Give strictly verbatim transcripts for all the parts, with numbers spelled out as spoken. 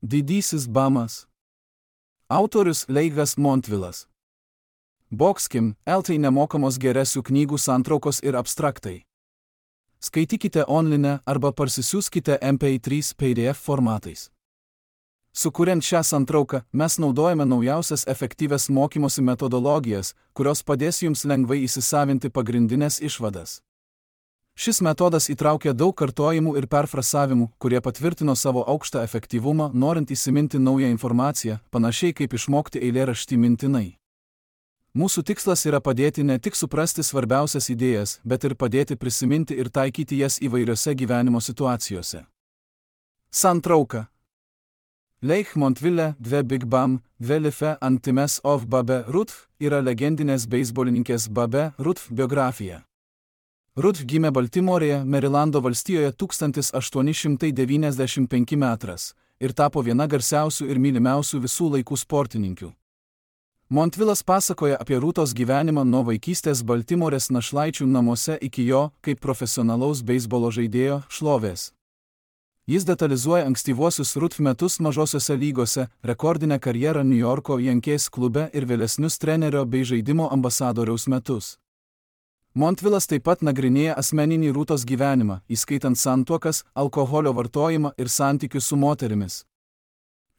Didysis bamas. Autorius Leigas Montvilas. Boxkim, eltai nemokamos geresių knygų santraukos ir abstraktai. Skaitykite online arba parsisiųskite M P trys P D F formatais. Sukuriant šią santrauką, mes naudojame naujausias efektyvias mokymosi metodologijas, kurios padės jums lengvai įsisavinti pagrindinės išvadas. Šis metodas įtraukia daug kartojimų ir perfrasavimų, kurie patvirtino savo aukštą efektyvumą, norint įsiminti naują informaciją, panašiai kaip išmokti eilėraštį mintinai. Mūsų tikslas yra padėti ne tik suprasti svarbiausias idėjas, bet ir padėti prisiminti ir taikyti jas įvairiose gyvenimo situacijose. Santrauka. Leich Montville, dve Big Bam, dve Life Antimes of Babe Ruth yra legendinės beisbolininkės Babe Ruth biografija. Ruth gimė Baltimorėje, Merilando valstijoje tūkstantis aštuoni šimtai devyniasdešimt penki metras ir tapo viena garsiausių ir mylimiausių visų laikų sportininkių. Montvilas pasakoja apie Rūtos gyvenimą nuo vaikystės Baltimorės našlaičių namuose iki jo, kaip profesionalaus beisbolo žaidėjo, šlovės. Jis detalizuoja ankstyvuosius Ruth metus mažosiose lygose, rekordinę karjerą New Yorko Yankees klube ir vėlesnius trenerio bei žaidimo ambasadoriaus metus. Montvilas taip pat nagrinėja asmeninį Rūtos gyvenimą, įskaitant santuokas, alkoholio vartojimą ir santykius su moterimis.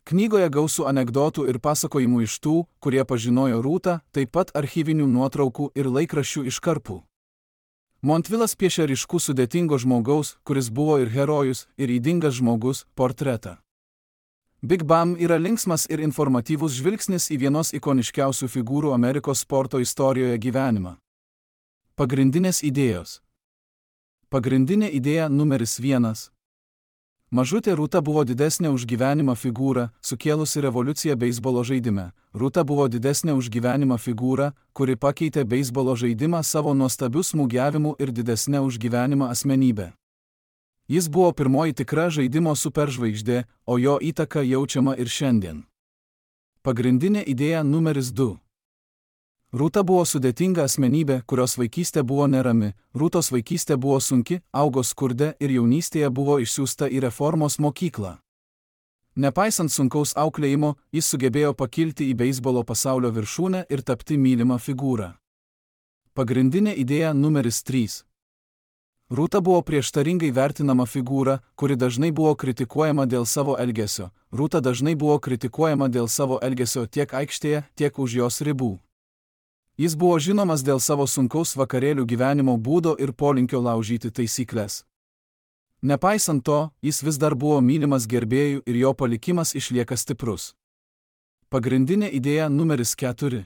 Knygoje gausų anekdotų ir pasakojimų iš tų, kurie pažinojo Rūtą, taip pat archyvinių nuotraukų ir laikraščių iškarpų. Montvilas piešia ryškų sudėtingo žmogaus, kuris buvo ir herojus, ir ydingas žmogus, portretą. Big Bam yra linksmas ir informatyvus žvilgsnis į vienos ikoniškiausių figūrų Amerikos sporto istorijoje gyvenimą. Pagrindinės idėjos. Pagrindinė idėja numeris vienas. Mažutė Rūta buvo didesnė už gyvenimą figūra, sukėlusi revoliuciją beisbolo žaidime. Rūta buvo didesnė už gyvenimą figūra, kuri pakeitė beisbolo žaidimą savo nuostabiu smūgiavimu ir didesnė už gyvenimą asmenybę. Jis buvo pirmoji tikra žaidimo superžvaigždė, o jo įtaka jaučiama ir šiandien. Pagrindinė idėja numeris du. Rūta buvo sudėtinga asmenybė, kurios vaikystė buvo nerami, Rūtos vaikystė buvo sunki, augo skurde ir jaunystėje buvo išsiųsta į reformos mokyklą. Nepaisant sunkaus auklėjimo, jis sugebėjo pakilti į beisbolo pasaulio viršūnę ir tapti mylimą figūrą. Pagrindinė idėja numeris trys. Rūta buvo prieštaringai vertinama figūra, kuri dažnai buvo kritikuojama dėl savo elgesio. Rūta dažnai buvo kritikuojama dėl savo elgesio tiek aikštėje, tiek už jos ribų. Jis buvo žinomas dėl savo sunkaus vakarėlių gyvenimo būdo ir polinkio laužyti taisyklės. Nepaisant to, jis vis dar buvo mylimas gerbėjų ir jo palikimas išlieka stiprus. Pagrindinė idėja numeris keturi.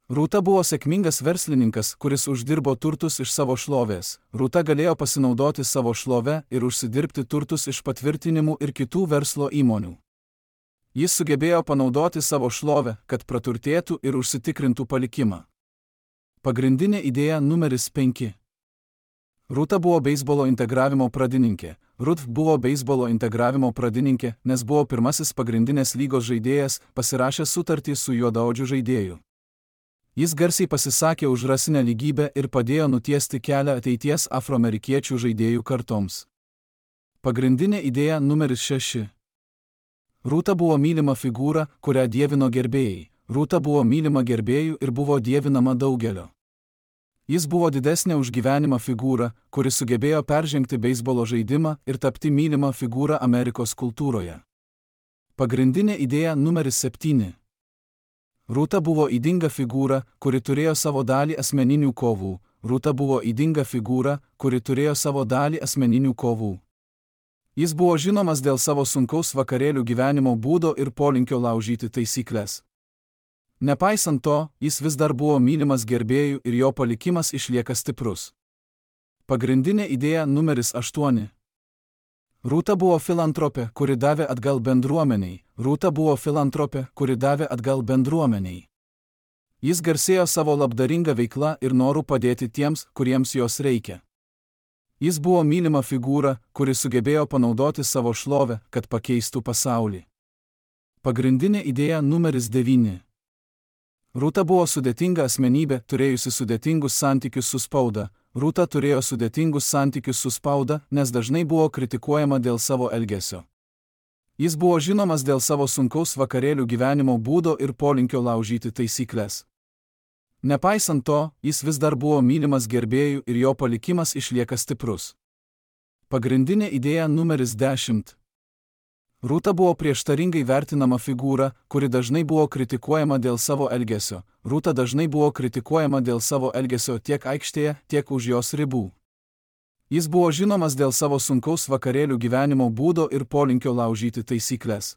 Rūta buvo sėkmingas verslininkas, kuris uždirbo turtus iš savo šlovės. Rūta galėjo pasinaudoti savo šlove ir užsidirbti turtus iš patvirtinimų ir kitų verslo įmonių. Jis sugebėjo panaudoti savo šlovę, kad praturtėtų ir užsitikrintų palikimą. Pagrindinė idėja numeris penki. Rūta buvo beisbolo integravimo pradininkė. Ruth buvo beisbolo integravimo pradininkė, nes buvo pirmasis pagrindinės lygos žaidėjas, pasirašęs sutartį su juodaodžiu žaidėju. Jis garsiai pasisakė už rasinę lygybę ir padėjo nutiesti kelią ateities afroamerikiečių žaidėjų kartoms. Pagrindinė idėja numeris šeši. Rūta buvo mylima figūra, kurią dievino gerbėjai. Rūta buvo mylima gerbėjų ir buvo dievinama daugelio. Jis buvo didesnė už gyvenimą figūra, kuri sugebėjo peržengti beisbolo žaidimą ir tapti mylimą figūrą Amerikos kultūroje. Pagrindinė idėja numeris septyni. Rūta buvo ydinga figūra, kuri turėjo savo dalį asmeninių kovų. Rūta buvo ydinga figūra, kuri turėjo savo dalį asmeninių kovų. Jis buvo žinomas dėl savo sunkaus vakarėlių gyvenimo būdo ir polinkio laužyti taisyklės. Nepaisant to, jis vis dar buvo mylimas gerbėjų ir jo palikimas išlieka stiprus. Pagrindinė idėja numeris aštuoni. Rūta buvo filantropė, kuri davė atgal bendruomeniai. Rūta buvo filantropė, kuri davė atgal bendruomeniai. Jis garsėjo savo labdaringa veikla ir noru padėti tiems, kuriems jos reikia. Jis buvo mylima figūra, kuri sugebėjo panaudoti savo šlovę, kad pakeistų pasaulį. Pagrindinė idėja numeris devyni. Rūta buvo sudėtinga asmenybė, turėjusi sudėtingus santykius su spauda. Rūta turėjo sudėtingus santykius su spauda, nes dažnai buvo kritikuojama dėl savo elgesio. Jis buvo žinomas dėl savo sunkaus vakarėlių gyvenimo būdo ir polinkio laužyti taisyklės. Nepaisant to, jis vis dar buvo mylimas gerbėjų ir jo palikimas išlieka stiprus. Pagrindinė idėja numeris dešimt. Rūta buvo prieštaringai vertinama figūra, kuri dažnai buvo kritikuojama dėl savo elgesio. Rūta dažnai buvo kritikuojama dėl savo elgesio tiek aikštėje, tiek už jos ribų. Jis buvo žinomas dėl savo sunkaus vakarėlių gyvenimo būdo ir polinkio laužyti taisyklės.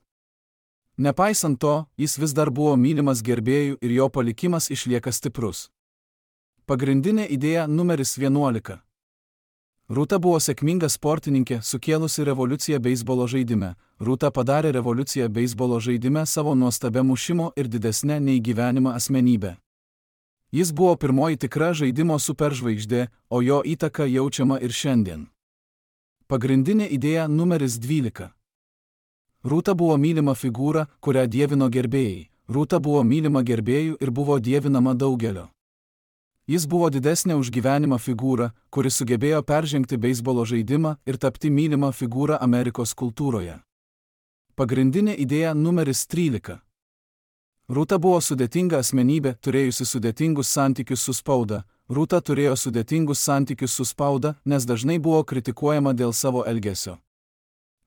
Nepaisant to, jis vis dar buvo mylimas gerbėjų ir jo palikimas išlieka stiprus. Pagrindinė idėja numeris vienuolika. Rūta buvo sėkminga sportininkė, sukėlusi revoliuciją beisbolo žaidime. Rūta padarė revoliuciją beisbolo žaidime savo nuostabia mušimo ir didesnė nei gyvenimą asmenybę. Jis buvo pirmoji tikra žaidimo superžvaigždė, o jo įtaka jaučiama ir šiandien. Pagrindinė idėja numeris dvylika. Rūta buvo mylima figūra, kurią dievino gerbėjai. Rūta buvo mylima gerbėjų ir buvo dievinama daugelio. Jis buvo didesnė už gyvenimą figūra, kuri sugebėjo peržengti beisbolo žaidimą ir tapti mylima figūra Amerikos kultūroje. Pagrindinė idėja numeris trylika. Rūta buvo sudėtinga asmenybė, turėjusi sudėtingus santykius su spauda. Rūta turėjo sudėtingus santykius su spauda, nes dažnai buvo kritikuojama dėl savo elgesio.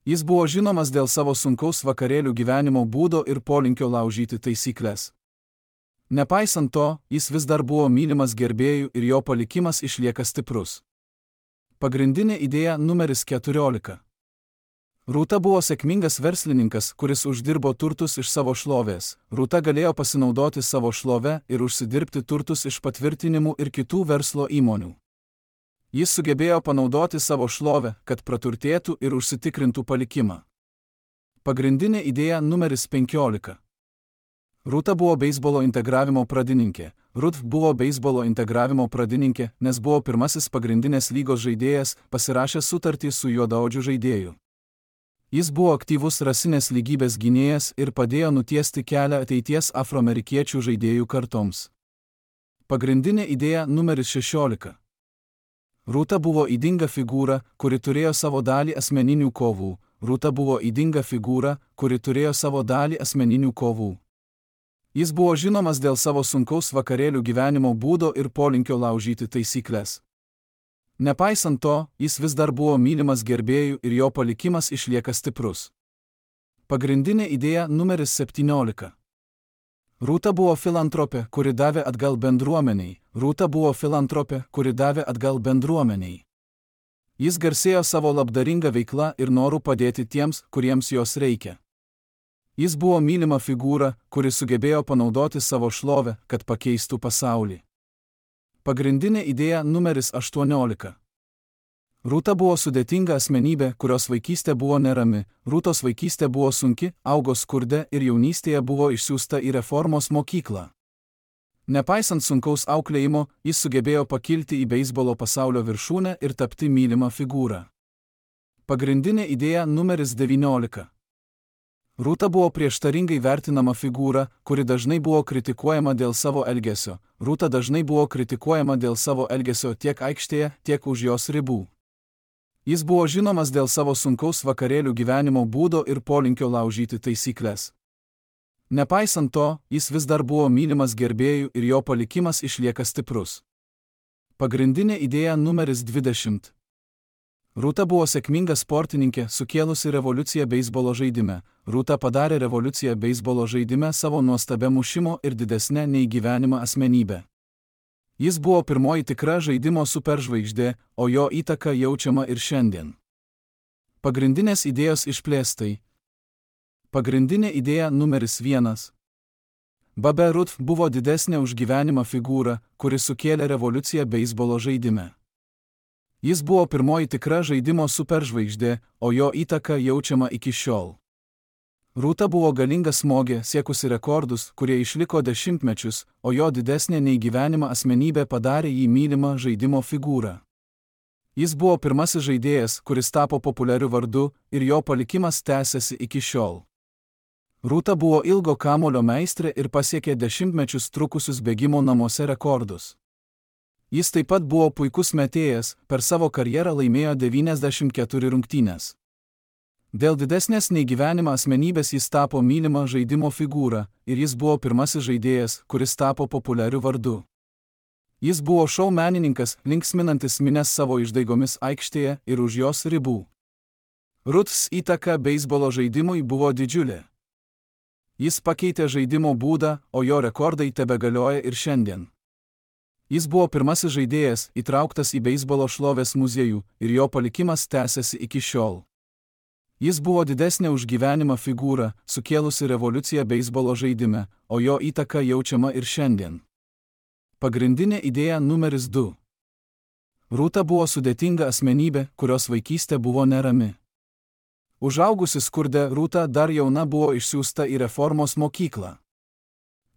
Jis buvo žinomas dėl savo sunkaus vakarėlių gyvenimo būdo ir polinkio laužyti taisyklės. Nepaisant to, jis vis dar buvo mylimas gerbėjų ir jo palikimas išlieka stiprus. Pagrindinė idėja numeris keturiolika. Rūta buvo sėkmingas verslininkas, kuris uždirbo turtus iš savo šlovės. Rūta galėjo pasinaudoti savo šlove ir užsidirbti turtus iš patvirtinimų ir kitų verslo įmonių. Jis sugebėjo panaudoti savo šlovę, kad praturtėtų ir užsitikrintų palikimą. Pagrindinė idėja numeris penkiolika. Rūta buvo beisbolo integravimo pradininkė. Ruth buvo beisbolo integravimo pradininkė, nes buvo pirmasis pagrindinės lygos žaidėjas, pasirašęs sutartį su juodaodžiu žaidėju. Jis buvo aktyvus rasinės lygybės gynėjas ir padėjo nutiesti kelią ateities afroamerikiečių žaidėjų kartoms. Pagrindinė idėja numeris šešiolika. Rūta buvo ydinga figūra, kuri turėjo savo dalį asmeninių kovų. Rūta buvo ydinga figūra, kuri turėjo savo dalį asmeninių kovų. Jis buvo žinomas dėl savo sunkaus vakarėlių gyvenimo būdo ir polinkio laužyti taisyklės. Nepaisant to, jis vis dar buvo mylimas gerbėjų ir jo palikimas išlieka stiprus. Pagrindinė idėja numeris septyniolika. Rūta buvo filantropė, kuri davė atgal bendruomeniai. Rūta buvo filantropė, kuri davė atgal bendruomeniai. Jis garsėjo savo labdaringa veikla ir noru padėti tiems, kuriems jos reikia. Jis buvo mylima figūra, kuri sugebėjo panaudoti savo šlovę, kad pakeistų pasaulį. Pagrindinė idėja numeris aštuoniolika. Rūta buvo sudėtinga asmenybė, kurios vaikystė buvo nerami. Rūtos vaikystė buvo sunki, augo skurde ir jaunystėje buvo išsiųsta į reformos mokyklą. Nepaisant sunkaus auklėjimo, jis sugebėjo pakilti į beisbolo pasaulio viršūnę ir tapti mylima figūra. Pagrindinė idėja numeris devyniolika. Rūta buvo prieštaringai vertinama figūra, kuri dažnai buvo kritikuojama dėl savo elgesio. Rūta dažnai buvo kritikuojama dėl savo elgesio tiek aikštėje, tiek už jos ribų. Jis buvo žinomas dėl savo sunkaus vakarėlių gyvenimo būdo ir polinkio laužyti taisyklės. Nepaisant to, jis vis dar buvo mylimas gerbėjų ir jo palikimas išlieka stiprus. Pagrindinė idėja numeris dvidešimt. Rūta buvo sėkminga sportininkė, sukėlusi revoliuciją beisbolo žaidime. Rūta padarė revoliuciją beisbolo žaidime savo nuostabia mušimo ir didesnė nei gyvenimą asmenybę. Jis buvo pirmoji tikra žaidimo superžvaigždė, o jo įtaka jaučiama ir šiandien. Pagrindinės idėjos išplėstai. Pagrindinė idėja numeris vienas. Babe Ruth buvo didesnė už gyvenimą figūra, kuri sukėlė revoliuciją beisbolo žaidime. Jis buvo pirmoji tikra žaidimo superžvaigždė, o jo įtaka jaučiama iki šiol. Rūta buvo galinga smogė, siekusi rekordus, kurie išliko dešimtmečius, o jo didesnė nei gyvenimą asmenybė padarė jį mylimą žaidimo figūrą. Jis buvo pirmasis žaidėjas, kuris tapo populiariu vardu, ir jo palikimas tęsiasi iki šiol. Rūta buvo ilgo kamulio meistrė ir pasiekė dešimtmečius trukusius bėgimo namuose rekordus. Jis taip pat buvo puikus metėjas, per savo karjerą laimėjo devyniasdešimt keturias rungtynes. Dėl didesnės nei gyvenimą asmenybės jis tapo mylima žaidimo figūra ir jis buvo pirmasis žaidėjas, kuris tapo populiariu vardu. Jis buvo šou menininkas, linksminantis minias savo išdaigomis aikštėje ir už jos ribų. Ruths įtaka beisbolo žaidimui buvo didžiulė. Jis pakeitė žaidimo būdą, o jo rekordai tebegalioja ir šiandien. Jis buvo pirmasis žaidėjas, įtrauktas į beisbolo šlovės muziejų ir jo palikimas tęsiasi iki šiol. Jis buvo didesnė už gyvenimą figūra, sukėlusi revoliuciją beisbolo žaidime, o jo įtaka jaučiama ir šiandien. Pagrindinė idėja numeris du. Rūta buvo sudėtinga asmenybė, kurios vaikystė buvo nerami. Užaugusi skurde, Rūta dar jauna buvo išsiųsta į reformos mokyklą.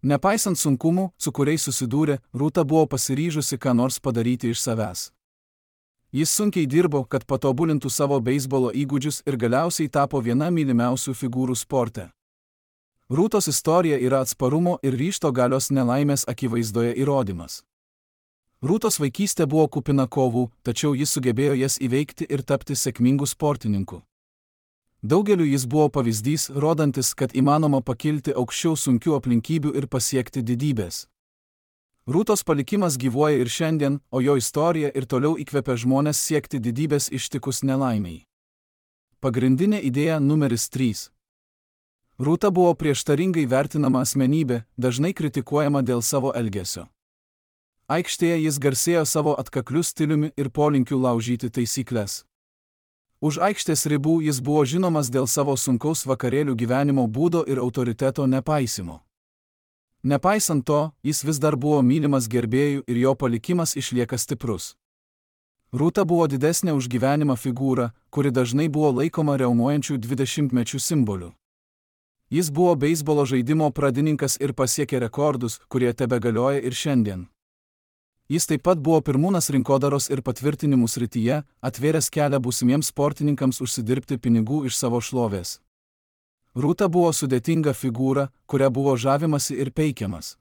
Nepaisant sunkumų, su kuriais susidūrė, Rūta buvo pasiryžusi ką nors padaryti iš savęs. Jis sunkiai dirbo, kad patobulintų savo beisbolo įgūdžius ir galiausiai tapo viena mylimiausių figūrų sporte. Rūtos istorija yra atsparumo ir ryžto galios nelaimės akivaizdoje įrodymas. Rūtos vaikystė buvo kupina kovų, tačiau jis sugebėjo jas įveikti ir tapti sėkmingu sportininku. Daugeliu jis buvo pavyzdys, rodantis, kad įmanoma pakilti aukščiau sunkių aplinkybių ir pasiekti didybės. Rūtos palikimas gyvuoja ir šiandien, o jo istorija ir toliau įkvepia žmonės siekti didybės ištikus nelaimiai. Pagrindinė idėja numeris trys. Rūta buvo prieštaringai vertinama asmenybė, dažnai kritikuojama dėl savo elgesio. Aikštėje jis garsėjo savo atkakliu stiliumi ir polinkiu laužyti taisyklės. Už aikštės ribų jis buvo žinomas dėl savo sunkaus vakarėlių gyvenimo būdo ir autoriteto nepaisimo. Nepaisant to, jis vis dar buvo mylimas gerbėjų ir jo palikimas išlieka stiprus. Rūta buvo didesnė už gyvenimą figūra, kuri dažnai buvo laikoma riaumojančių dvidešimtmečių simboliu. Jis buvo beisbolo žaidimo pradininkas ir pasiekė rekordus, kurie tebegalioja ir šiandien. Jis taip pat buvo pirmūnas rinkodaros ir patvirtinimų srityje, atvėręs kelią būsimiems sportininkams užsidirbti pinigų iš savo šlovės. Rūta buvo sudėtinga figūra, kuria buvo žavimasi ir peikiamas.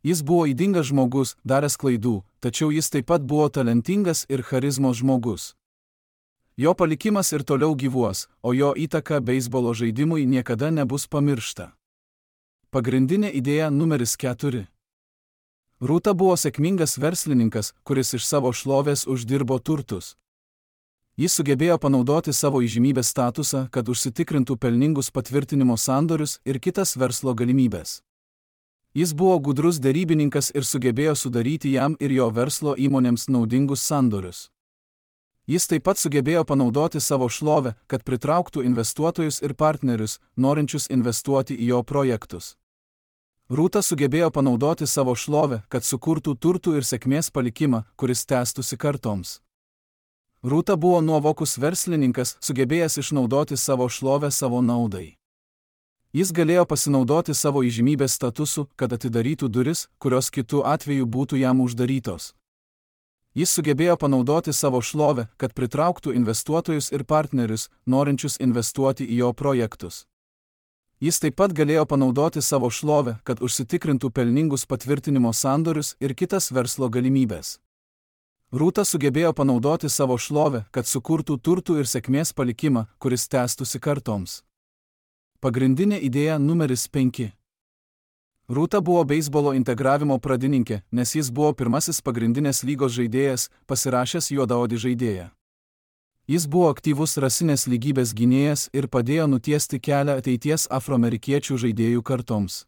Jis buvo ydingas žmogus, daręs klaidų, tačiau jis taip pat buvo talentingas ir charizmos žmogus. Jo palikimas ir toliau gyvuos, o jo įtaka beisbolo žaidimui niekada nebus pamiršta. Pagrindinė idėja numeris keturi. Rūta buvo sėkmingas verslininkas, kuris iš savo šlovės uždirbo turtus. Jis sugebėjo panaudoti savo įžymybės statusą, kad užsitikrintų pelningus patvirtinimo sandorius ir kitas verslo galimybės. Jis buvo gudrus derybininkas ir sugebėjo sudaryti jam ir jo verslo įmonėms naudingus sandorius. Jis taip pat sugebėjo panaudoti savo šlovę, kad pritrauktų investuotojus ir partnerius, norinčius investuoti į jo projektus. Rūta sugebėjo panaudoti savo šlovę, kad sukurtų turtų ir sėkmės palikimą, kuris tęstųsi kartoms. Rūta buvo nuovokus verslininkas, sugebėjęs išnaudoti savo šlovę savo naudai. Jis galėjo pasinaudoti savo įžymybės statusu, kad atidarytų duris, kurios kitų atveju būtų jam uždarytos. Jis sugebėjo panaudoti savo šlovę, kad pritrauktų investuotojus ir partnerius, norinčius investuoti į jo projektus. Jis taip pat galėjo panaudoti savo šlovę, kad užsitikrintų pelningus patvirtinimo sandorius ir kitas verslo galimybės. Rūta sugebėjo panaudoti savo šlovę, kad sukurtų turtų ir sėkmės palikimą, kuris tęstųsi kartoms. Pagrindinė idėja numeris penki. Rūta buvo beisbolo integravimo pradininkė, nes jis buvo pirmasis pagrindinės lygos žaidėjas, pasirašęs juodaodį žaidėją. Jis buvo aktyvus rasinės lygybės gynėjas ir padėjo nutiesti kelią ateities afroamerikiečių žaidėjų kartoms.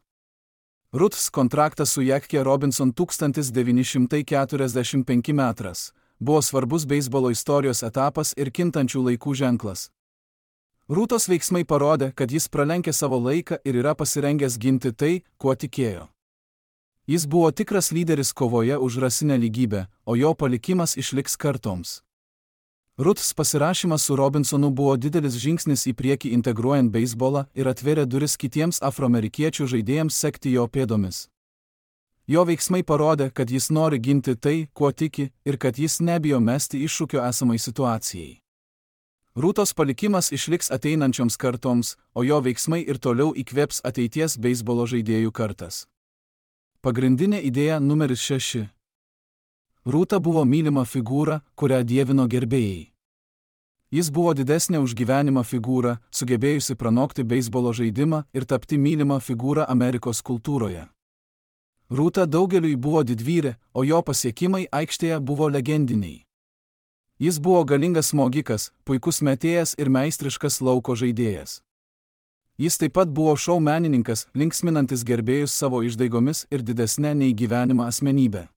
Ruths kontraktas su Jackie Robinson tūkstantis devyni šimtai keturiasdešimt penki metras buvo svarbus beisbolo istorijos etapas ir kintančių laikų ženklas. Rūtos veiksmai parodė, kad jis pralenkė savo laiką ir yra pasirengęs ginti tai, kuo tikėjo. Jis buvo tikras lyderis kovoje už rasinę lygybę, o jo palikimas išliks kartoms. Ruths pasirašymas su Robinsonu buvo didelis žingsnis į priekį integruojant beisbolą ir atvėrė duris kitiems afroamerikiečių žaidėjams sekti jo pėdomis. Jo veiksmai parodė, kad jis nori ginti tai, kuo tiki, ir kad jis nebijo mesti iššūkio esamai situacijai. Rūtos palikimas išliks ateinančioms kartoms, o jo veiksmai ir toliau įkvėps ateities beisbolo žaidėjų kartas. Pagrindinė idėja numeris šeši. Rūta buvo mylima figūra, kurią dievino gerbėjai. Jis buvo didesnė už gyvenimą figūra, sugebėjusi pranokti beisbolo žaidimą ir tapti mylimą figūrą Amerikos kultūroje. Rūta daugeliui buvo didvyrė, o jo pasiekimai aikštėje buvo legendiniai. Jis buvo galingas smogikas, puikus metėjas ir meistriškas lauko žaidėjas. Jis taip pat buvo šou menininkas, linksminantis gerbėjus savo išdaigomis ir didesnė nei gyvenimą asmenybę.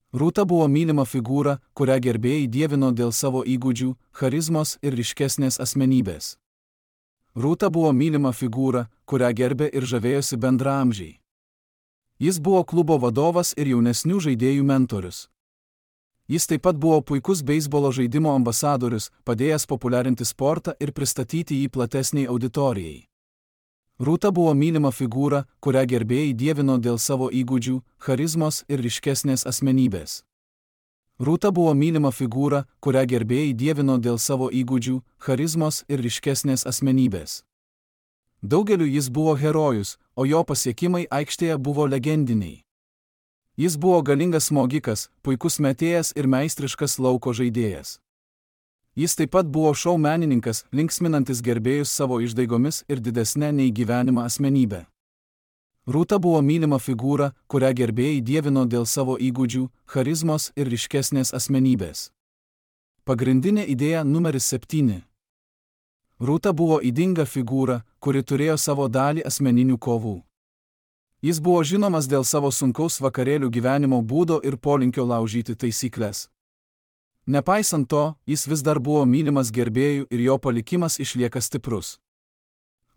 Rūta buvo mylima figūra, kurią gerbėjai dievino dėl savo įgūdžių, charizmos ir ryškesnės asmenybės. Rūta buvo mylima figūra, kurią gerbė ir žavėjosi bendraamžiai. Jis buvo klubo vadovas ir jaunesnių žaidėjų mentorius. Jis taip pat buvo puikus beisbolo žaidimo ambasadorius, padėjęs populiarinti sportą ir pristatyti jį platesniai auditorijai. Rūta buvo mylima figūra, kurią gerbėjai dievino dėl savo įgūdžių, charizmos ir ryškesnės asmenybės. Rūta buvo mylima figūra, kurią gerbėjai dievino dėl savo įgūdžių, charizmos ir ryškesnės asmenybės. Daugeliu jis buvo herojus, o jo pasiekimai aikštėje buvo legendiniai. Jis buvo galingas smogikas, puikus metėjas ir meistriškas lauko žaidėjas. Jis taip pat buvo šou menininkas, linksminantis gerbėjus savo išdaigomis ir didesnė nei gyvenimą asmenybę. Rūta buvo mylima figūra, kurią gerbėjai dievino dėl savo įgūdžių, charizmos ir ryškesnės asmenybės. Pagrindinė idėja numeris septyni. Rūta buvo ydinga figūra, kuri turėjo savo dalį asmeninių kovų. Jis buvo žinomas dėl savo sunkaus vakarėlių gyvenimo būdo ir polinkio laužyti taisyklės. Nepaisant to, jis vis dar buvo mylimas gerbėjų ir jo palikimas išlieka stiprus.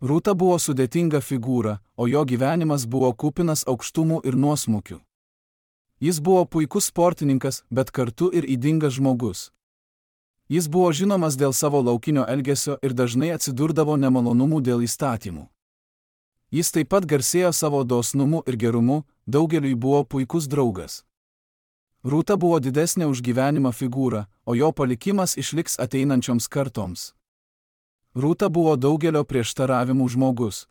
Rūta buvo sudėtinga figūra, o jo gyvenimas buvo kupinas aukštumų ir nuosmukių. Jis buvo puikus sportininkas, bet kartu ir ydingas žmogus. Jis buvo žinomas dėl savo laukinio elgesio ir dažnai atsidurdavo nemalonumų dėl įstatymų. Jis taip pat garsėjo savo dosnumu ir gerumu, daugeliui buvo puikus draugas. Rūta buvo didesnė už gyvenimą figūra, o jo palikimas išliks ateinančioms kartoms. Rūta buvo daugelio prieštaravimų žmogus.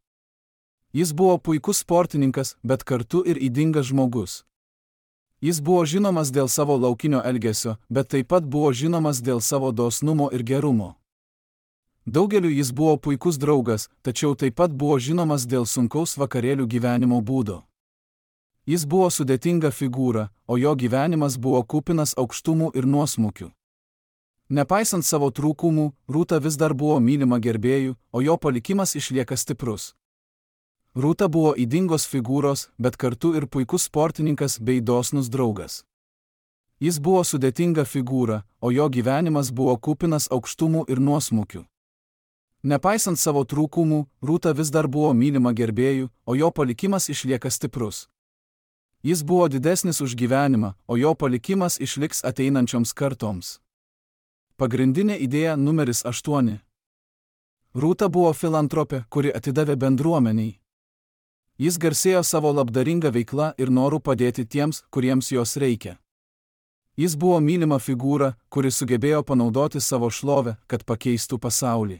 Jis buvo puikus sportininkas, bet kartu ir ydingas žmogus. Jis buvo žinomas dėl savo laukinio elgesio, bet taip pat buvo žinomas dėl savo dosnumo ir gerumo. Daugeliu jis buvo puikus draugas, tačiau taip pat buvo žinomas dėl sunkaus vakarėlių gyvenimo būdo. Jis buvo sudėtinga figūra, o jo gyvenimas buvo kupinas aukštumų ir nuosmukių. Nepaisant savo trūkumų, Rūta vis dar buvo mylima gerbėjų, o jo palikimas išlieka stiprus. Rūta buvo ydingos figūros, bet kartu ir puikus sportininkas bei dosnus draugas. Jis buvo sudėtinga figūra, o jo gyvenimas buvo kupinas aukštumų ir nuosmukių. Nepaisant savo trūkumų, Rūta vis dar buvo mylima gerbėjų, o jo palikimas išlieka stiprus. Jis buvo didesnis už gyvenimą, o jo palikimas išliks ateinančioms kartoms. Pagrindinė idėja numeris aštuoni. Rūta buvo filantropė, kuri atidavė bendruomeniai. Jis garsėjo savo labdaringa veikla ir noru padėti tiems, kuriems jos reikia. Jis buvo mylima figūra, kuri sugebėjo panaudoti savo šlovę, kad pakeistų pasaulį.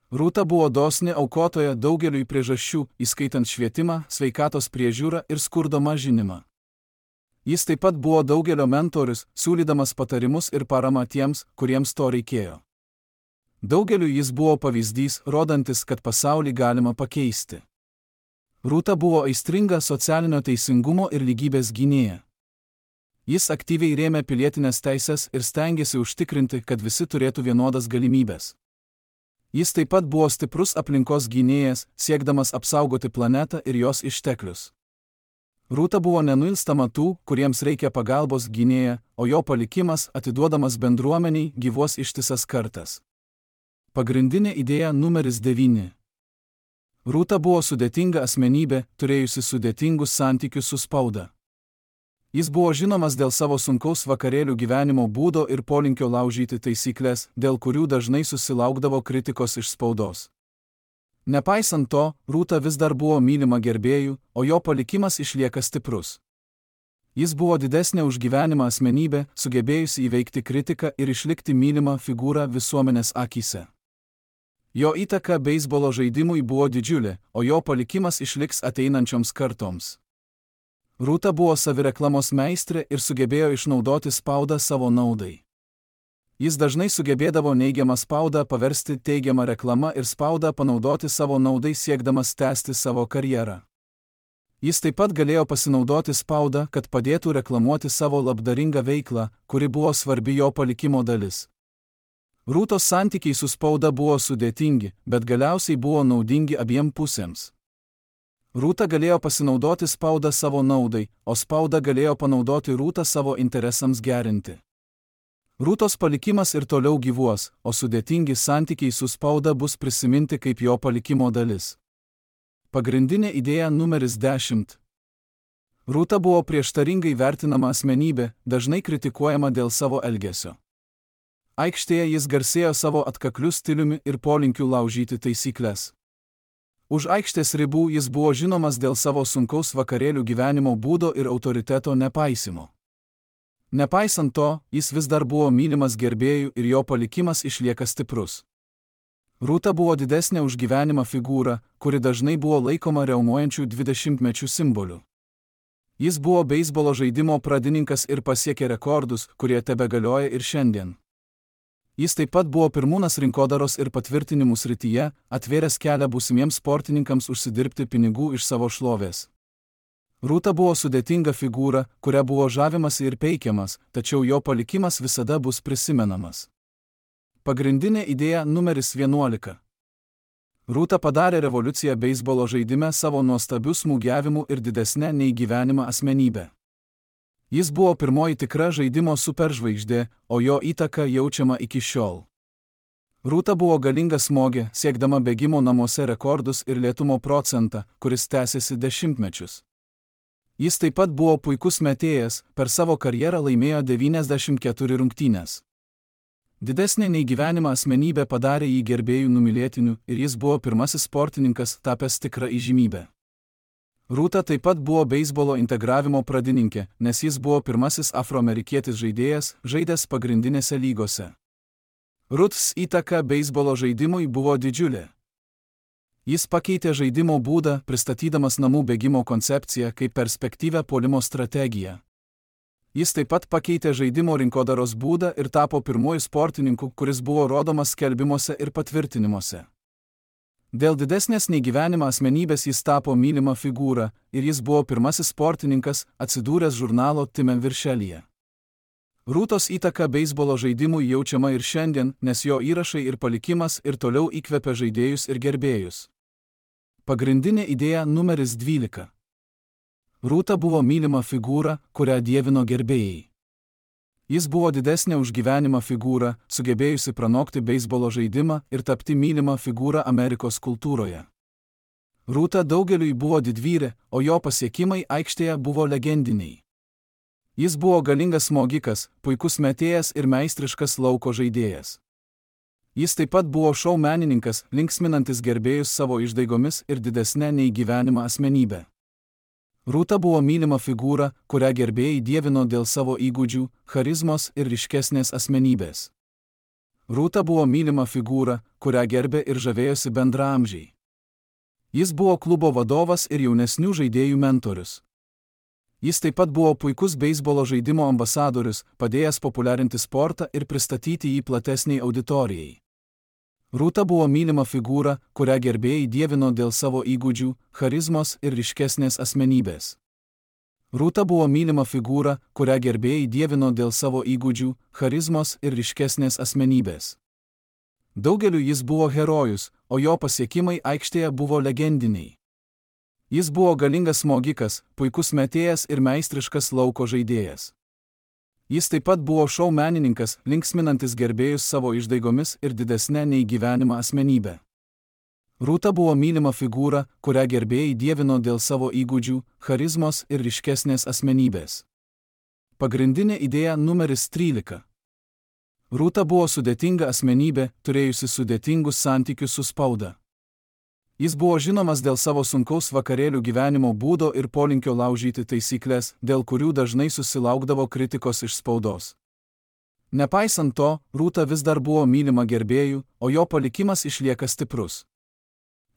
Rūta buvo dosni aukotoja daugeliui priežasčių, įskaitant švietimą, sveikatos priežiūrą ir skurdo mažinimą. Jis taip pat buvo daugelio mentorius, siūlydamas patarimus ir paramą tiems, kuriems to reikėjo. Daugeliu jis buvo pavyzdys, rodantis, kad pasaulį galima pakeisti. Rūta buvo aistringa socialinio teisingumo ir lygybės gynėja. Jis aktyviai rėmė pilietinės teises ir stengėsi užtikrinti, kad visi turėtų vienodas galimybės. Jis taip pat buvo stiprus aplinkos gynėjas, siekdamas apsaugoti planetą ir jos išteklius. Rūta buvo nenuilstama tų, kuriems reikia pagalbos gynėja, o jo palikimas, atiduodamas bendruomeniai, gyvuos ištisas kartas. Pagrindinė idėja numeris devyni. Rūta buvo sudėtinga asmenybė, turėjusi sudėtingus santykius su spauda. Jis buvo žinomas dėl savo sunkaus vakarėlių gyvenimo būdo ir polinkio laužyti taisyklės, dėl kurių dažnai susilaukdavo kritikos iš spaudos. Nepaisant to, Rūta vis dar buvo mylima gerbėjų, o jo palikimas išlieka stiprus. Jis buvo didesnė už gyvenimą asmenybė, sugebėjusi įveikti kritiką ir išlikti mylima figūra visuomenės akyse. Jo įtaka beisbolo žaidimui buvo didžiulė, o jo palikimas išliks ateinančioms kartoms. Rūta buvo savireklamos meistrė ir sugebėjo išnaudoti spaudą savo naudai. Jis dažnai sugebėdavo neigiamą spaudą paversti teigiamą reklamą ir spaudą panaudoti savo naudai siekdamas tęsti savo karjerą. Jis taip pat galėjo pasinaudoti spaudą, kad padėtų reklamuoti savo labdaringą veiklą, kuri buvo svarbi jo palikimo dalis. Rūtos santykiai su spauda buvo sudėtingi, bet galiausiai buvo naudingi abiem pusėms. Rūta galėjo pasinaudoti spaudą savo naudai, o spauda galėjo panaudoti Rūtą savo interesams gerinti. Rūtos palikimas ir toliau gyvuos, o sudėtingi santykiai su spauda bus prisiminti kaip jo palikimo dalis. Pagrindinė idėja numeris dešimt. Rūta buvo prieštaringai vertinama asmenybė, dažnai kritikuojama dėl savo elgesio. Aikštėje jis garsėjo savo atkakliu stiliumi ir polinkiu laužyti taisyklės. Už aikštės ribų jis buvo žinomas dėl savo sunkaus vakarėlių gyvenimo būdo ir autoriteto nepaisimo. Nepaisant to, jis vis dar buvo mylimas gerbėjų ir jo palikimas išlieka stiprus. Rūta buvo didesnė už gyvenimą figūra, kuri dažnai buvo laikoma riaumojančių dvidešimtmečių simboliu. Jis buvo beisbolo žaidimo pradininkas ir pasiekė rekordus, kurie tebegalioja ir šiandien. Jis taip pat buvo pirmūnas rinkodaros ir patvirtinimų srityje, atvėręs kelią būsimiems sportininkams užsidirbti pinigų iš savo šlovės. Rūta buvo sudėtinga figūra, kuria buvo žavimasi ir peikiamas, tačiau jo palikimas visada bus prisimenamas. Pagrindinė idėja numeris vienuolika. Rūta padarė revoliuciją beisbolo žaidime savo nuostabiu smūgiavimu ir didesnė nei gyvenimą asmenybę. Jis buvo pirmoji tikra žaidimo superžvaigždė, o jo įtaka jaučiama iki šiol. Rūta buvo galinga smogė, siekdama bėgimo namuose rekordus ir lėtumo procentą, kuris tęsiasi dešimtmečius. Jis taip pat buvo puikus metėjas, per savo karjerą laimėjo devyniasdešimt keturias rungtynes. Didesnė nei gyvenimą asmenybė padarė jį gerbėjų numylėtiniu ir jis buvo pirmasis sportininkas tapęs tikrą įžymybę. Rūta taip pat buvo beisbolo integravimo pradininkė, nes jis buvo pirmasis afroamerikietis žaidėjas, žaidęs pagrindinėse lygose. Rūtos įtaka beisbolo žaidimui buvo didžiulė. Jis pakeitė žaidimo būdą, pristatydamas namų bėgimo koncepciją kaip perspektyvią puolimo strategiją. Jis taip pat pakeitė žaidimo rinkodaros būdą ir tapo pirmuoju sportininku, kuris buvo rodomas skelbimuose ir patvirtinimuose. Dėl didesnės nei gyvenimą asmenybės jis tapo mylima figūra ir jis buvo pirmasis sportininkas, atsidūręs žurnalo Time viršelyje. Rūtos įtaka beisbolo žaidimui jaučiama ir šiandien, nes jo įrašai ir palikimas ir toliau įkvepia žaidėjus ir gerbėjus. Pagrindinė idėja numeris dvylika. Rūta buvo mylima figūra, kurią dievino gerbėjai. Jis buvo didesnė už gyvenimą figūra, sugebėjusi pranokti beisbolo žaidimą ir tapti mylimą figūrą Amerikos kultūroje. Rūta daugeliui buvo didvyrė, o jo pasiekimai aikštėje buvo legendiniai. Jis buvo galingas smogikas, puikus metėjas ir meistriškas lauko žaidėjas. Jis taip pat buvo šou menininkas, linksminantis gerbėjus savo išdaigomis ir didesnė nei gyvenimą asmenybę. Rūta buvo mylima figūra, kurią gerbėjai dievino dėl savo įgūdžių, charizmos ir ryškesnės asmenybės. Rūta buvo mylima figūra, kurią gerbė ir žavėjosi bendraamžiai. Jis buvo klubo vadovas ir jaunesnių žaidėjų mentorius. Jis taip pat buvo puikus beisbolo žaidimo ambasadorius, padėjęs populiarinti sportą ir pristatyti jį platesniai auditorijai. Rūta buvo mylima figūra, kurią gerbėjai dievino dėl savo įgūdžių, charizmos ir ryškesnės asmenybės. Rūta buvo mylima figūra, kurią gerbėjai dievino dėl savo įgūdžių, charizmos ir ryškesnės asmenybės. Daugeliu jis buvo herojus, o jo pasiekimai aikštėje buvo legendiniai. Jis buvo galingas smogikas, puikus metėjas ir meistriškas lauko žaidėjas. Jis taip pat buvo šou menininkas, linksminantis gerbėjus savo išdaigomis ir didesnė nei gyvenimą asmenybę. Rūta buvo mylima figūra, kurią gerbėjai dievino dėl savo įgūdžių, charizmos ir ryškesnės asmenybės. Pagrindinė idėja numeris trylika. Rūta buvo sudėtinga asmenybė, turėjusi sudėtingus santykius su spauda. Jis buvo žinomas dėl savo sunkaus vakarėlių gyvenimo būdo ir polinkio laužyti taisyklės, dėl kurių dažnai susilaukdavo kritikos iš spaudos. Nepaisant to, Rūta vis dar buvo mylima gerbėjų, o jo palikimas išlieka stiprus.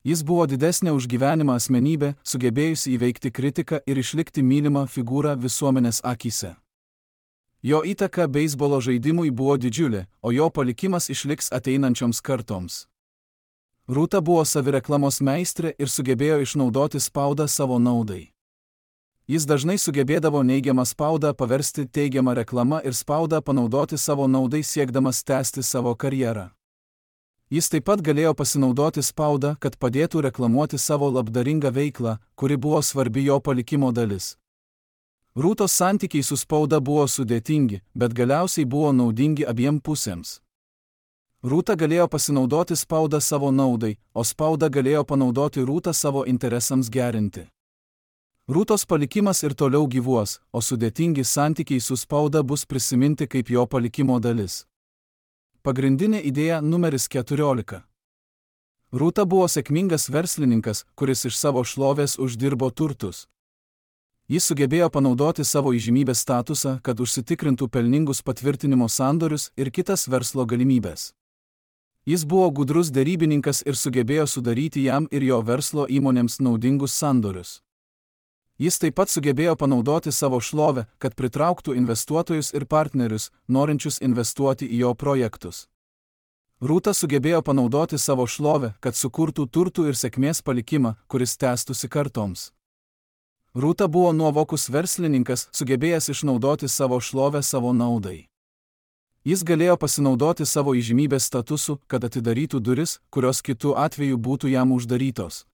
Jis buvo didesnė už gyvenimą asmenybė, sugebėjusi įveikti kritiką ir išlikti mylima figūra visuomenės akyse. Jo įtaka beisbolo žaidimui buvo didžiulė, o jo palikimas išliks ateinančioms kartoms. Rūta buvo savireklamos meistrė ir sugebėjo išnaudoti spaudą savo naudai. Jis dažnai sugebėdavo neigiamą spaudą paversti teigiamą reklamą ir spaudą panaudoti savo naudai siekdamas tęsti savo karjerą. Jis taip pat galėjo pasinaudoti spaudą, kad padėtų reklamuoti savo labdaringą veiklą, kuri buvo svarbi jo palikimo dalis. Rūtos santykiai su spauda buvo sudėtingi, bet galiausiai buvo naudingi abiem pusėms. Rūta galėjo pasinaudoti spaudą savo naudai, o spauda galėjo panaudoti Rūtą savo interesams gerinti. Rūtos palikimas ir toliau gyvuos, o sudėtingi santykiai su spauda bus prisiminti kaip jo palikimo dalis. Pagrindinė idėja numeris keturiolika. Rūta buvo sėkmingas verslininkas, kuris iš savo šlovės uždirbo turtus. Jis sugebėjo panaudoti savo įžymybės statusą, kad užsitikrintų pelningus patvirtinimo sandorius ir kitas verslo galimybės. Jis buvo gudrus derybininkas ir sugebėjo sudaryti jam ir jo verslo įmonėms naudingus sandorius. Jis taip pat sugebėjo panaudoti savo šlovę, kad pritrauktų investuotojus ir partnerius, norinčius investuoti į jo projektus. Rūta sugebėjo panaudoti savo šlovę, kad sukurtų turtų ir sėkmės palikimą, kuris tęstųsi kartoms. Rūta buvo nuovokus verslininkas, sugebėjęs išnaudoti savo šlovę savo naudai. Jis galėjo pasinaudoti savo įžymybės statusu, kad atidarytų duris, kurios kitų atveju būtų jam uždarytos.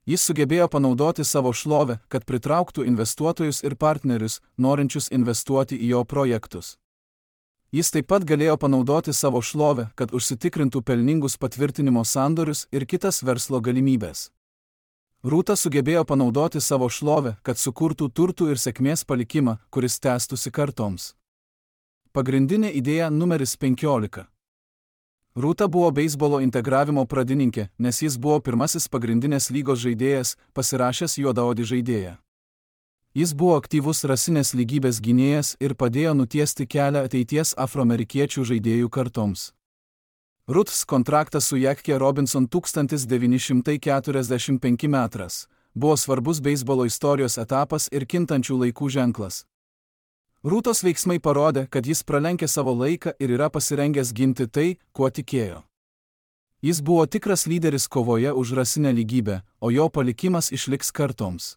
Jis sugebėjo panaudoti savo šlovę, kad pritrauktų investuotojus ir partnerius, norinčius investuoti į jo projektus. Jis taip pat galėjo panaudoti savo šlovę, kad užsitikrintų pelningus patvirtinimo sandorius ir kitas verslo galimybės. Rūta sugebėjo panaudoti savo šlovę, kad sukurtų turtų ir sėkmės palikimą, kuris tęstųsi kartoms. Pagrindinė idėja numeris penkiolika. Rūta buvo beisbolo integravimo pradininkė, nes jis buvo pirmasis pagrindinės lygos žaidėjas, pasirašęs juodaodį žaidėją. Jis buvo aktyvus rasinės lygybės gynėjas ir padėjo nutiesti kelią ateities afroamerikiečių žaidėjų kartoms. Rūtos kontraktas su Jackie Robinson tūkstantis devyni šimtai keturiasdešimt penki metras buvo svarbus beisbolo istorijos etapas ir kintančių laikų ženklas. Rūtos veiksmai parodė, kad jis pralenkė savo laiką ir yra pasirengęs ginti tai, kuo tikėjo. Jis buvo tikras lyderis kovoje už rasinę lygybę, o jo palikimas išliks kartoms.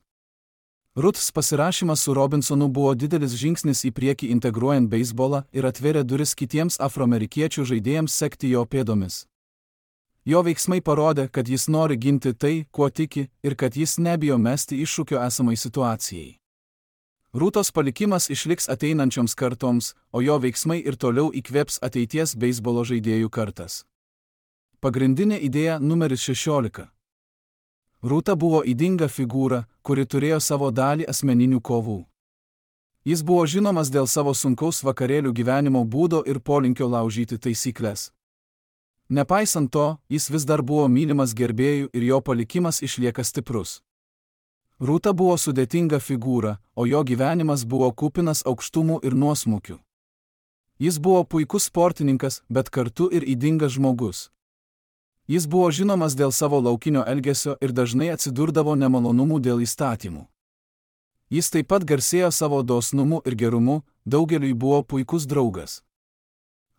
Rūtos pasirašymas su Robinsonu buvo didelis žingsnis į priekį integruojant beisbolą ir atvėrė duris kitiems afroamerikiečių žaidėjams sekti jo pėdomis. Jo veiksmai parodė, kad jis nori ginti tai, kuo tiki, ir kad jis nebijo mesti iššūkio esamai situacijai. Rūtos palikimas išliks ateinančioms kartoms, o jo veiksmai ir toliau įkvėps ateities beisbolo žaidėjų kartas. Pagrindinė idėja numeris šešiolika. Rūta buvo ydinga figūra, kuri turėjo savo dalį asmeninių kovų. Jis buvo žinomas dėl savo sunkaus vakarėlių gyvenimo būdo ir polinkio laužyti taisyklės. Nepaisant to, jis vis dar buvo mylimas gerbėjų ir jo palikimas išlieka stiprus. Rūta buvo sudėtinga figūra, o jo gyvenimas buvo kupinas aukštumų ir nuosmukių. Jis buvo puikus sportininkas, bet kartu ir ydingas žmogus. Jis buvo žinomas dėl savo laukinio elgesio ir dažnai atsidurdavo nemalonumų dėl įstatymų. Jis taip pat garsėjo savo dosnumu ir gerumu, daugeliui buvo puikus draugas.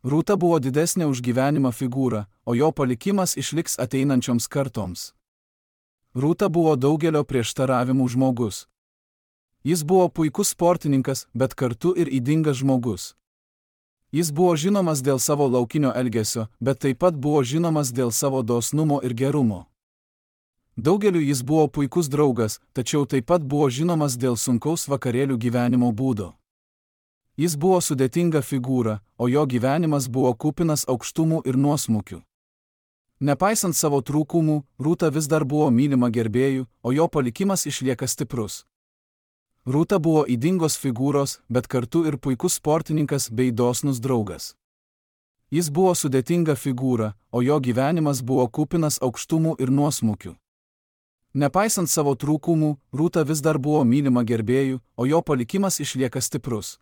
Rūta buvo didesnė už gyvenimą figūra, o jo palikimas išliks ateinančioms kartoms. Rūta buvo daugelio prieštaravimų žmogus. Jis buvo puikus sportininkas, bet kartu ir ydingas žmogus. Jis buvo žinomas dėl savo laukinio elgesio, bet taip pat buvo žinomas dėl savo dosnumo ir gerumo. Daugeliu jis buvo puikus draugas, tačiau taip pat buvo žinomas dėl sunkaus vakarėlių gyvenimo būdo. Jis buvo sudėtinga figūra, o jo gyvenimas buvo kupinas aukštumų ir nuosmukių. Nepaisant savo trūkumų, Rūta vis dar buvo mylima gerbėjų, o jo palikimas išlieka stiprus. Rūta buvo ydingos figūros, bet kartu ir puikus sportininkas bei dosnus draugas. Jis buvo sudėtinga figūra, o jo gyvenimas buvo kupinas aukštumų ir nuosmukių. Nepaisant savo trūkumų, Rūta vis dar buvo mylima gerbėjų, o jo palikimas išlieka stiprus.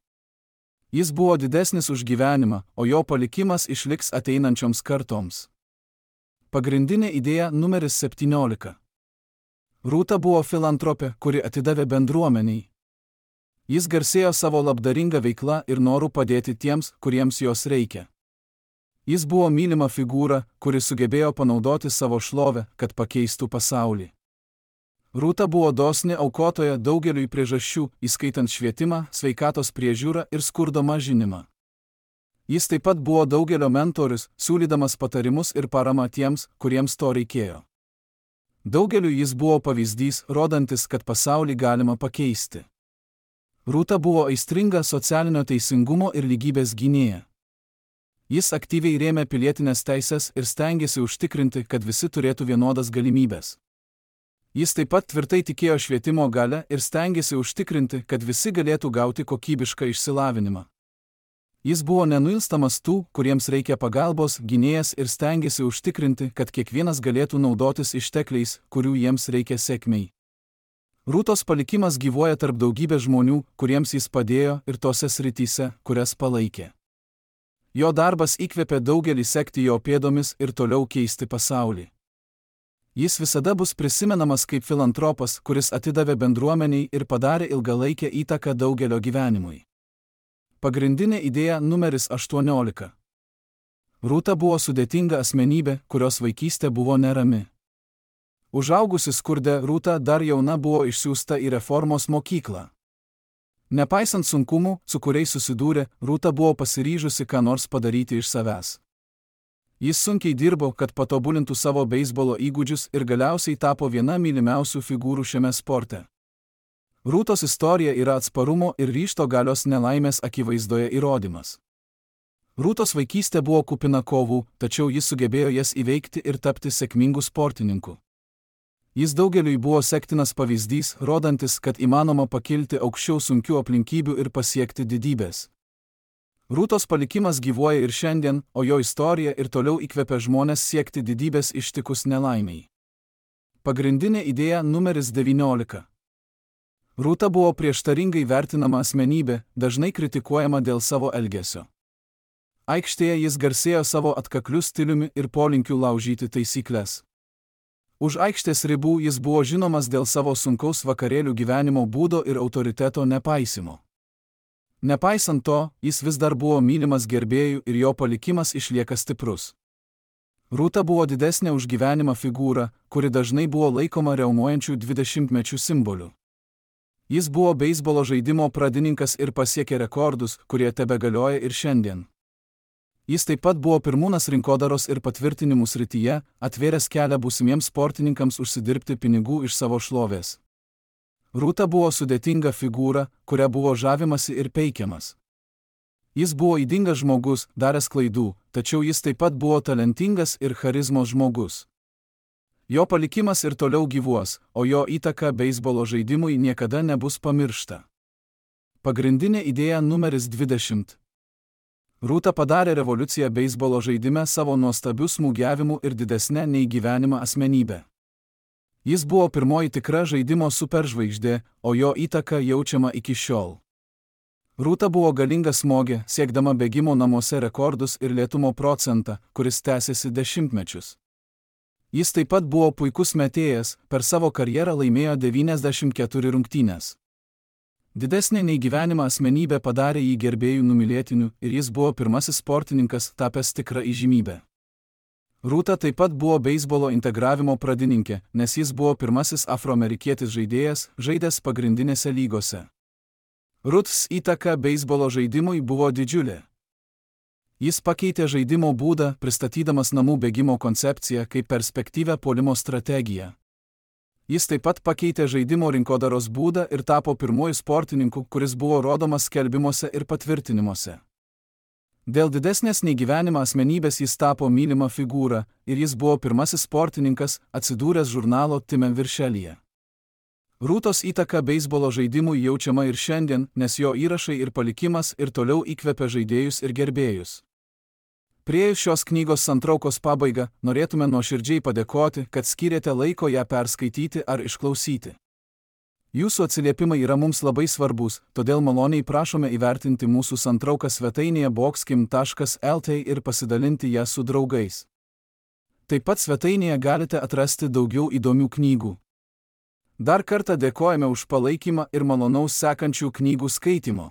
Jis buvo didesnis už gyvenimą, o jo palikimas išliks ateinančioms kartoms. Pagrindinė idėja numeris septyniolika. Rūta buvo filantropė, kuri atidavė bendruomeniai. Jis garsėjo savo labdaringa veikla ir noru padėti tiems, kuriems jos reikia. Jis buvo mylima figūra, kuri sugebėjo panaudoti savo šlovę, kad pakeistų pasaulį. Rūta buvo dosni aukotoja daugeliui priežasčių, įskaitant švietimą, sveikatos priežiūrą ir skurdo mažinimą. Jis taip pat buvo daugelio mentorius, siūlydamas patarimus ir paramą tiems, kuriems to reikėjo. Daugeliu jis buvo pavyzdys, rodantis, kad pasaulį galima pakeisti. Rūta buvo aistringa socialinio teisingumo ir lygybės gynėja. Jis aktyviai rėmė pilietinės teisės ir stengėsi užtikrinti, kad visi turėtų vienodas galimybės. Jis taip pat tvirtai tikėjo švietimo galia ir stengėsi užtikrinti, kad visi galėtų gauti kokybišką išsilavinimą. Jis buvo nenuilstamas tų, kuriems reikia pagalbos, gynėjas ir stengėsi užtikrinti, kad kiekvienas galėtų naudotis ištekliais, kurių jiems reikia sėkmei. Rūtos palikimas gyvuoja tarp daugybės žmonių, kuriems jis padėjo ir tose srityse, kurias palaikė. Jo darbas įkvėpė daugelį sekti jo pėdomis ir toliau keisti pasaulį. Jis visada bus prisimenamas kaip filantropas, kuris atidavė bendruomeniai ir padarė ilgalaikę įtaką daugelio gyvenimui. Pagrindinė idėja numeris aštuoniolika. Rūta buvo sudėtinga asmenybė, kurios vaikystė buvo nerami. Užaugusi skurde, Rūta dar jauna buvo išsiųsta į reformos mokyklą. Nepaisant sunkumų, su kuriais susidūrė, Rūta buvo pasiryžusi ką nors padaryti iš savęs. Jis sunkiai dirbo, kad patobulintų savo beisbolo įgūdžius ir galiausiai tapo viena mylimiausių figūrų šiame sporte. Rūtos istorija yra atsparumo ir ryžto galios nelaimės akivaizdoje įrodymas. Rūtos vaikystė buvo kupina kovų, tačiau jis sugebėjo jas įveikti ir tapti sėkmingu sportininku. Jis daugeliui buvo sektinas pavyzdys, rodantis, kad įmanoma pakilti aukščiau sunkių aplinkybių ir pasiekti didybės. Rūtos palikimas gyvuoja ir šiandien, o jo istorija ir toliau įkvepia žmones siekti didybės ištikus nelaimiai. Pagrindinė idėja numeris devyniolika. Rūta buvo prieštaringai vertinama asmenybė, dažnai kritikuojama dėl savo elgesio. Aikštėje jis garsėjo savo atkakliu stiliumi ir polinkiu laužyti taisyklės. Už aikštės ribų jis buvo žinomas dėl savo sunkaus vakarėlių gyvenimo būdo ir autoriteto nepaisimo. Nepaisant to, jis vis dar buvo mylimas gerbėjų ir jo palikimas išlieka stiprus. Rūta buvo didesnė už gyvenimą figūra, kuri dažnai buvo laikoma riaumojančių dvidešimtmečių simboliu. Jis buvo beisbolo žaidimo pradininkas ir pasiekė rekordus, kurie tebegalioja ir šiandien. Jis taip pat buvo pirmūnas rinkodaros ir patvirtinimų srityje, atvėręs kelią būsimiems sportininkams užsidirbti pinigų iš savo šlovės. Rūta buvo sudėtinga figūra, kuria buvo žavimasi ir peikiamas. Jis buvo ydingas žmogus, daręs klaidų, tačiau jis taip pat buvo talentingas ir charizmos žmogus. Jo palikimas ir toliau gyvuos, o jo įtaka beisbolo žaidimui niekada nebus pamiršta. Pagrindinė idėja numeris dvidešimt. Rūta padarė revoliuciją beisbolo žaidime savo nuostabiu smūgiavimu ir didesnė nei gyvenimą asmenybę. Jis buvo pirmoji tikra žaidimo superžvaigždė, o jo įtaka jaučiama iki šiol. Rūta buvo galinga smogė, siekdama bėgimo namuose rekordus ir lėtumo procentą, kuris tęsėsi dešimtmečius. Jis taip pat buvo puikus metėjas, per savo karjerą laimėjo devyniasdešimt keturias rungtynes. Didesnė nei gyvenimą asmenybė padarė jį gerbėjų numylėtiniu ir jis buvo pirmasis sportininkas tapęs tikrą įžymybę. Rūta taip pat buvo beisbolo integravimo pradininkė, nes jis buvo pirmasis afroamerikietis žaidėjas, žaidęs pagrindinėse lygose. Rūtos įtaka beisbolo žaidimui buvo didžiulė. Jis pakeitė žaidimo būdą, pristatydamas namų bėgimo koncepciją kaip perspektyvią puolimo strategiją. Jis taip pat pakeitė žaidimo rinkodaros būdą ir tapo pirmuoju sportininku, kuris buvo rodomas skelbimuose ir patvirtinimuose. Dėl didesnės nei gyvenimą asmenybės jis tapo mylima figūra ir jis buvo pirmasis sportininkas, atsidūręs žurnalo Time viršelyje. Rūtos įtaka beisbolo žaidimui jaučiama ir šiandien, nes jo įrašai ir palikimas ir toliau įkvepia žaidėjus ir gerbėjus. Priėjus šios knygos santraukos pabaigą, norėtume nuoširdžiai padėkoti, kad skyrėte laiko ją perskaityti ar išklausyti. Jūsų atsiliepimai yra mums labai svarbus, todėl maloniai prašome įvertinti mūsų santrauką svetainėje boxkim taškas lt ir pasidalinti ją su draugais. Taip pat svetainėje galite atrasti daugiau įdomių knygų. Dar kartą dėkojame už palaikymą ir malonaus sekančių knygų skaitimo.